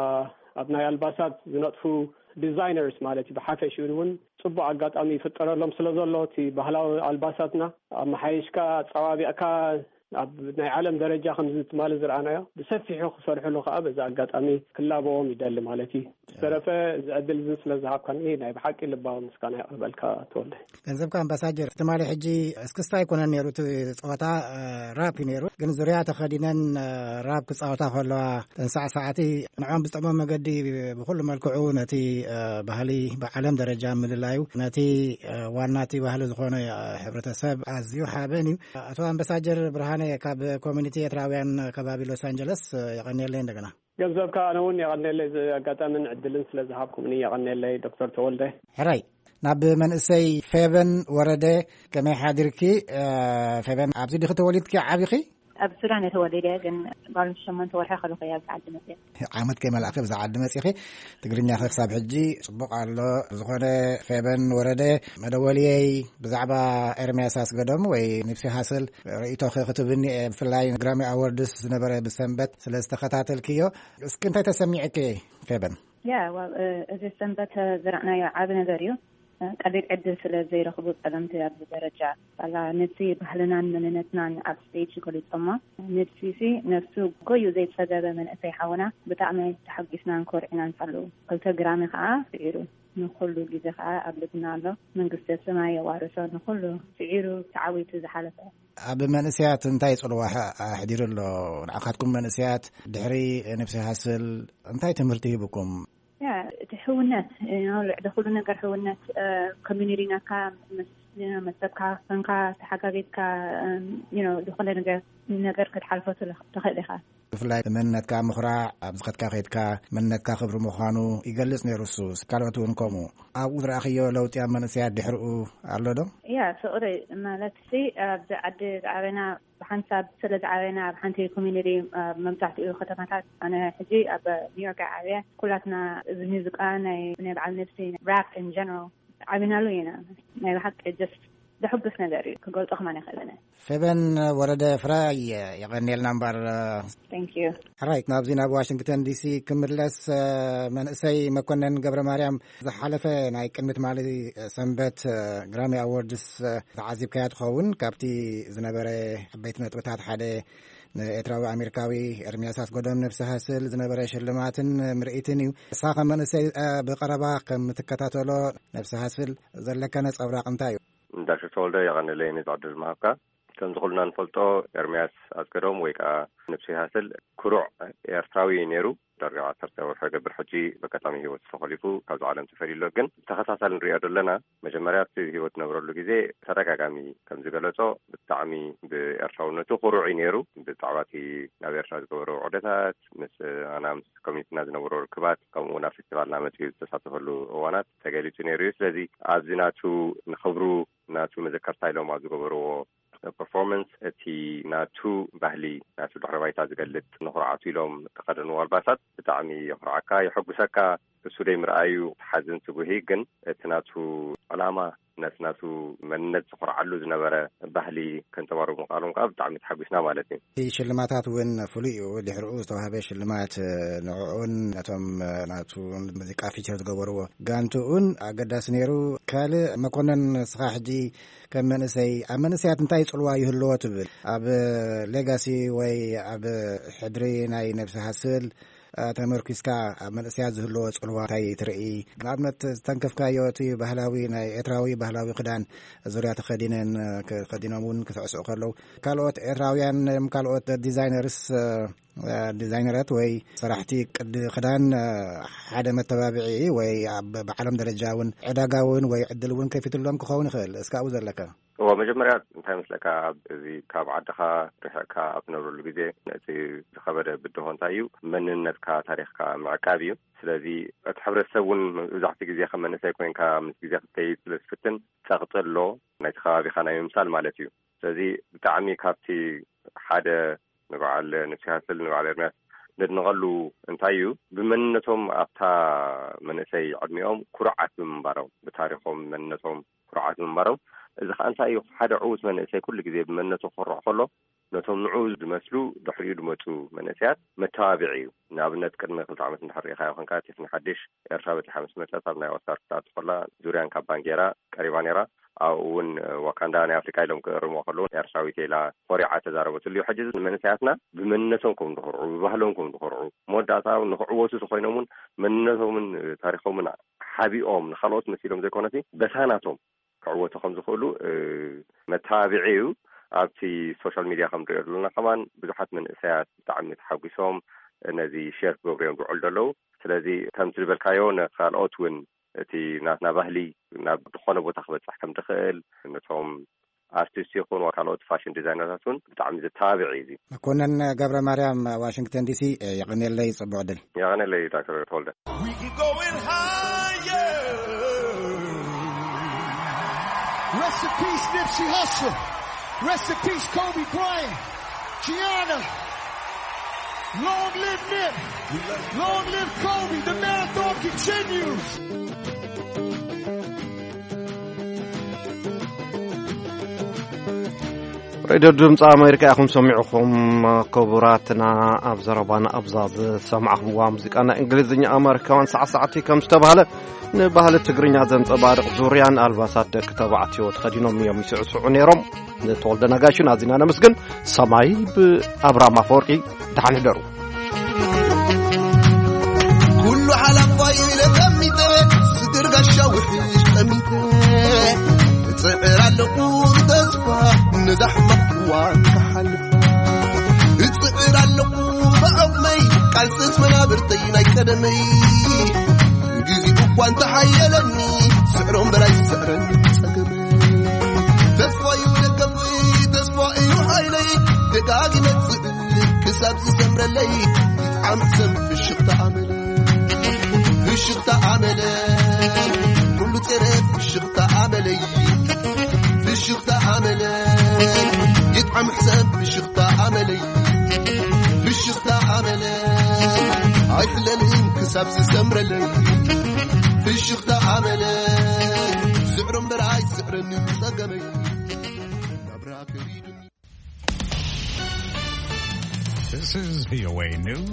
ኣብ ናይ ኣልባሳት ዝነጥፉ ዲዛይነርስ ማለት እዩ፣ ብሓፈሽኡ እውን ጽቡቕ ኣጋጣሚ ይፍጠረሎም ስለ ዘሎ፣ እቲ ባህላዊ ኣልባሳትና ኣመሓይሽካ፣ ኣጸባቢቕካ፣ ኣብ ናይ ዓለም ደረጃ ከምዚ ትማሊ ዝረኣናዮ ብሰፊሑ ክሰርሕሉ ኸዓ በዚ ኣጋጣሚ ክላበዎም ይደሊ ማለት እዩ። ዝተረፈ እዚ ዕድል እዚ ስለ ዝሃብካኒ ናይ ብሓቂ ልባዊ ምስጋና የቕርበልካ ተወልደ። ገንዘብካ ኣምባሳጀር፣ ትማሊ ሕጂ እስክስታ ኣይኮነን ነይሩ እቲ ጸወታ፣ እ፣ ራፕ እዩ ነይሩ። ግን ዙርያ ተኸዲነን፣ እ፣ ራፕ ክጻወታ ከለዋ፣ ተን ሳዕሳዕቲ ንዕኦም ብዝጠቕሞም መገዲ ብኹሉ መልክዑ ነቲ፣ እ፣ ባህሊ ብዓለም ደረጃ ምልላዩ፣ ነቲ፣ እ፣ ዋና እቲ ባህሊ ዝኾነ፣ እ፣ ሕብረተሰብ ኣዝዩ ሓበን እዩ። ኣቶ ኣምባሳጀር ብርሃነ ካብ ኮሚኒቲ ኤርትራውያን ከባቢ ሎስ ኣንጀለስ፣ እ፣ የቐንየለይ እንደገና። ገንዘብካ ኣነ እውን የቐንየለይ፣ እዚ ኣጋጣምን ዕድልን ስለ ዝሃብኩምኒ የቐንየለይ ዶክተር ተወልደ። ሕራይ፣ ናብ መንእሰይ ፌበን ወረደ ከመይ ሓዲርኪ? እ፣ ፌበን፣ ኣብዚ ዲኺ ተወሊድኪ ዓቢኺ? ኣብ ሱዳን እየ ተወሊደ፣ ግን ጓል ሸሞንተ ወርሒ ከለኹ እየ ኣብዚ ዓዲ መፅየ። ዓመት ከይመላእኺ ኣብዚ ዓዲ መፂኺ። ትግርኛኺ ክሳብ ሕጂ ፅቡቕ ኣሎ። ዝኾነ ፌበን ወረደ መደወልየይ ብዛዕባ ኤርምያስ ኣስገዶም ወይ ኒፕሲ ሃስል ርእይቶኺ ክትብኒ እየ። ብፍላይ ግራሚ ኣወርድስ ዝነበረ ብሰንበት ስለ ዝተኸታተልክዮ፣ እስኪ እንታይ ተሰሚዕኪ ፌበን? ያ፣ ዋው፣ እ፣ እዚ ሰንበት፣ እ፣ ዝረኣናዮ ዓቢ ነገር እዩ። እ፣ ቀሊል ዕድል ስለ ዘይረኽቡ ጸለምቲ ኣብዚ ደረጃ፣ ዋላ ነቲ ባህልናን መንነትናን ኣብ ስቴጅ ገሊጾሞ። ንድፊሲ ነፍሱ ጎዩ ዘይጸገበ መንእሰይ ሓውና፣ ብጣዕሚ ተሓጒስናን ኮርዒናን ኣለዉ። ክልተ ግራሚ ከኣ ስዒሩ፣ ንኹሉ ግዜ ከኣ ኣብ ልብና ኣሎ። መንግስተ ሰማይ የዋርሶ ንኹሉ ስዒሩ ተዓዊቱ ዝሓለፈ። ኣብ መንእሰያት እንታይ ጽልዋ ኣሕ-፣ ኣሕዲሩ ኣሎ? ንዓኻትኩም መንእሰያት ድሕሪ ንብሲ ሃስል እንታይ ትምህርቲ ሂብኩም? ያ፣ እቲ ሕውነት፣ እ፣ ልዕሊ ኩሉ ነገር ሕውነት፣ እ፣ ኮሚኒቲ ናካ መስ-፣ መሰብካ፣ ኮንካ፣ ተሓጋጊዝካ፣ እ፣ you know፣ ዝኾነ ነገር፣ ነገር ክትሓልፎ ትለ-፣ ትኽእል ኢኻ። ብፍላይ መንነትካ ምኹራዕ፣ ኣብ ዝኸድካ ከይድካ መንነትካ ክብሪ ምዃኑ ይገልጽ ነይሩ። እሱ ካልኦት እውን ከምኡ። ኣብኡ ዝረኣኽዮ ለውጢ ኣብ መንእሰያት ድሕሪኡ ኣሎ ዶ? ያ፣ ፍቕሪ ማለት ሲ ኣብዚ ዓዲ ዝዓበና፣ ብሓንሳብ ስለ ዝዓበና ኣብ ሓንቲ ኮሚኒቲ፣ ኣብ መብዛሕትኡ ከተማታት፣ ኣነ ሕጂ ኣብ ኒውዮርክ ዓብያ፣ ኩላትና እዚ ሙዚቃ ናይ ናይ በዓል ነብሲ፣ ራፕ ኢን ጀነራል ዓቢናሉ ኢና። ናይ ብሓቂ ጀስት ዘሐጉስ ነገር እዩ፣ ክገልጾ ከማን ይኽእልን። ፌበን ወረደ ፍራይ፣ የቐንየልና እምበር። Thank you። ሕራይ፣ ናብዚ ናብ ዋሽንግተን ዲሲ ክምለስ፣ መንእሰይ መኮነን ገብረ ማርያም፣ ዝሓለፈ ናይ ቅድሚ ትማሊ ሰንበት ግራሚ ኣዎርድስ ተዓዚብካያ ትኸውን። ካብቲ ዝነበረ ዓበይቲ ነጥብታት ሓደ ንኤርትራዊ ኣሜሪካዊ ኤርሚያስ ኣስገዶም ነብሲ ሃስል ዝነበረ ሽልማትን ምርኢትን እዩ። ንስኻ ከም መንእሰይ ብቐረባ ከም ትከታተሎ ነብሲ ሃስል ዘለካ ነጸብራቕ እንታይ እዩ? ዳክተር ተወልደ፣ የቐንለይ ነዚ ዕድል ምሃብካ። ከምዚ ኩልና ንፈልጦ፣ ኤርምያስ ኣስገዶም ወይ ከዓ ንብሲ ሃስል ኩሩዕ ኤርትራዊ እዩ ነይሩ። ዳርጋ ዓሰርተ ወርሒ ገብር ሕጂ በጋጣሚ ህይወት ተኸሊፉ ካብዚ ዓለም ተፈልዩ ኣሎ። ግን ብተኸታታሊ ንሪኦ ዘለና፣ መጀመርያ እቲ ህይወት ዝነበረሉ ግዜ ተደጋጋሚ ከም ዝገለጾ፣ ብጣዕሚ ብኤርትራውነቱ ኩሩዕ እዩ ነይሩ። ብዛዕባ እቲ ናብ ኤርትራ ዝገበሮ ውዕደታት፣ ምስ ኣና ምስ ኮሚኒቲና ዝነበሮ ርክባት፣ ከምኡ ናብ ፌስቲቫልና መጺኡ ዝተሳተፈሉ እዋናት ተገሊጹ ነይሩ እዩ። ስለዚ ኣብዚ ናቱ ንኽብሩ ናቱ መዘከርታ ኢሎም ኣብ ዝገበርዎ ፐርፎርማንስ፣ እቲ ናቱ ባህሊ፣ ናቱ ድሕረ ባይታ ዝገልጽ፣ ንኹርዓቱ ኢሎም ዝተኸደንዎ ኣልባሳት ብጣዕሚ የኹርዓካ፣ የሐጉሰካ። እሱ ደይ ምርኣዩ ሓዝን ስጉሂ፣ ግን እቲ ናቱ ዕላማ፣ ነቲ ናቱ መንነት ዝኹርዓሉ ዝነበረ ባህሊ ከንጸባርቑ ምኽኣሎም ከኣ ብጣዕሚ ተሓጒስና ማለት እዩ። እቲ ሽልማታት እውን ፍሉይ እዩ። ድሕሪኡ ዝተዋህበ ሽልማት፣ ንዕኡን ነቶም ናቱ ሙዚቃ ፊቸር ዝገበርዎ ጋንትኡን ኣገዳሲ ነይሩ። ካልእ መኮነን፣ ንስኻ ሕጂ ከም መንእሰይ፣ ኣብ መንእሰያት እንታይ ጽልዋ ይህልዎ ትብል? ኣብ ሌጋሲ ወይ ኣብ ሕድሪ ናይ ነብሲ ሃስል፣ እ፣ ተመርኪስካ ኣብ መንእሰያት ዝህልዎ ጽልዋ እንታይ ትርኢ? ንኣብነት ዝተንከፍካዮ እቲ ባህላዊ ናይ ኤርትራዊ ባህላዊ ክዳን ዙርያ ተኸዲነን፣ እ፣ ከ-፣ ከዲኖም እውን ክስዕስዑ ከለዉ፣ ካልኦት ኤርትራውያን፣ እም፣ ካልኦት ዲዛይነርስ፣ እ፣ እ፣ ዲዛይነረት ወይ ሰራሕቲ ቅዲ ክዳን፣ እ፣ ሓደ መተባብዒ ወይ ኣብ፣ ብዓለም ደረጃ እውን ዕዳጋ እውን ወይ ዕድል እውን ከፊትሎም ክኸውን ይኽእል። እስካብ ዘለካ እዎ፣ መጀመርያ እንታይ መስለካ፣ ኣብ እዚ ካብ ዓድኻ ርሒቕካ ኣብ ትነብረሉ ግዜ፣ ነቲ ዝኸበደ ብድሆ እንታይ እዩ? መንነትካ፣ ታሪኽካ ምዕቃብ እዩ። ስለዚ እቲ ሕብረተሰብ እውን መብዛሕትኡ ግዜ ከም መንእሰይ ኮይንካ ምስ ግዜ ክትከይድ ስለ ዝፍትን፣ ጸቕጢ ኣሎ፣ ናይቲ ከባቢኻ ናይ ምምሳል ማለት እዩ። ስለዚ ብጣዕሚ ካብቲ ሓደ ንበዓል ንብሲ ሃስል፣ ንበዓል ኤርምያስ ነድንቐሉ እንታይ እዩ? ብመንነቶም ኣብታ መንእሰይ ዕድሚኦም ኩሩዓት ብምንባሮም፣ ብታሪኾም መንነቶም ኩሩዓት ምንባሮም። እዚ ኸኣ እንታይ እዩ? ሓደ ዕዉት መንእሰይ ኩሉ ግዜ ብመንነቱ ክኾርዕ ከሎ፣ ነቶም ንዕኡ ዝመስሉ ድሕሪኡ ዝመጹ መንእሰያት መተባብዒ እዩ። ንኣብነት፣ ቅድሚ ክልተ ዓመት እንድሕር ርኢኻዮ ኾንካ፣ ቲፍኒ ሓድሽ ኤርትራ በጺሓ ምስ መጸት፣ ኣብ ናይ ኦስካር ክትኣቱ ከላ፣ ዙርያን ካባን ገይራ ቀሪባ ነይራ። ኣብኡ እውን ዋካንዳ ናይ ኣፍሪቃ ኢሎም ክእርምዎ ከለዉ፣ ኤርትራዊት ኢላ ኮሪዓ ተዛረበትሉ እዩ። ሕጂ እዚ ንመንእሰያትና ብመንነቶም ከም ዝኾርዑ፣ ብባህሎም ከም ዝኾርዑ፣ መወዳእታ እውን ንኽዕወቱ ተኾይኖም እውን መንነቶምን ታሪኾምን ሓቢኦም ንኻልኦት መሲሎም ዘይኮነሲ በታ ናቶም ክዕወቱ ከም ዝኽእሉ፣ እ፣ መተባብዒ እዩ። ኣብቲ ሶሻል ሚድያ ከም ንሪኦ ዘለና ከማን ብዙሓት መንእሰያት ብጣዕሚ ተሓጒሶም ነዚ ሼር ክገብሩ እዮም ዝውዕሉ ዘለዉ። ስለዚ ከምቲ ዝበልካዮ ንኻልኦት እውን እቲ ናትና ባህሊ ናብ ዝኾነ ቦታ ክበጽሕ ከም ዝኽእል፣ ነቶም ኣርቲስት ይኹን ካልኦት ፋሽን ዲዛይነራት እውን ብጣዕሚ ዘተባብዕ እዩ እዚ። መኮነን ገብረ ማርያም፣ ዋሽንግተን ዲሲ፣ የቐንየለይ፣ ጽቡቕ ዕድል። የቐንየለይ ዳክተር ተወልደ። We can go in higher. Rest in peace, Nipsey Hussle. Rest in peace, Kobe Bryant. Gianna. Long live Nip. Long live Kobe. The marathon continues. ሬድዮ ድምፂ ኣሜሪካ ኢኹም ሰሚዕኹም። ክቡራትና፣ ኣብ ዘረባና ኣብዛ ዝሰማዕኹምዋ ሙዚቃ ናይ እንግሊዝኛ ኣመሪካውያን ሳዕሳዕቲ ከም ዝተባህለ፣ ንባህሊ ትግርኛ ዘንጸባርቕ ዙርያን ኣልባሳት ደቂ ተባዕትዮ ተኸዲኖም እዮም ይስዕስዑ ነይሮም። ንተወልደ ነጋሽን ኣዚና ነመስግን። ሰማይ ብኣብራም ኣፈወርቂ። ደሓን ሕደሩ። ኩሉ ሓላፋይ ኢለ ቀሚጠ፣ ስግር ጋሻ ውሕጅ ቀሚጠ፣ እጽዕር ኣለኹ ብተስፋ ነዛ ሕማቕ እዋን ክሓልፋ። እጽዕር ኣለኹ ብዓቕመይ፣ ቃልስስ መናብርተይ ናይ ቀደመይ። ግዜኡ እኳ እንተሓየለኒ፣ ስዕሮም በላይ ዝስዕረኒ ጸገመይ። ተስፋ እዩ ደገፍይ፣ ተስፋ እዩ ሓይለይ፣ ደጋጊመ ክሳብ ዝሰምረለይ። ይጥዓም ሕሰም ፍሽኽታ ኣመለ ፍሽኽታ ኣመለ ኩሉ ጸረ ፍሽኽታ ኣመለይ ፍሽኽታ ኣመለ ይጥዓም ሕሰም ፍሽኽታ ኣመለይ ፍሽኽታ ኣመለ ኣይፍለልን ክሳብ ዝሰምረለይ ፍሽኽታ ኣመለ ስዕሮ እምበር ኣይስዕረኒ ጸገመይ ናብራ ከቢዱኒ This is V O A News.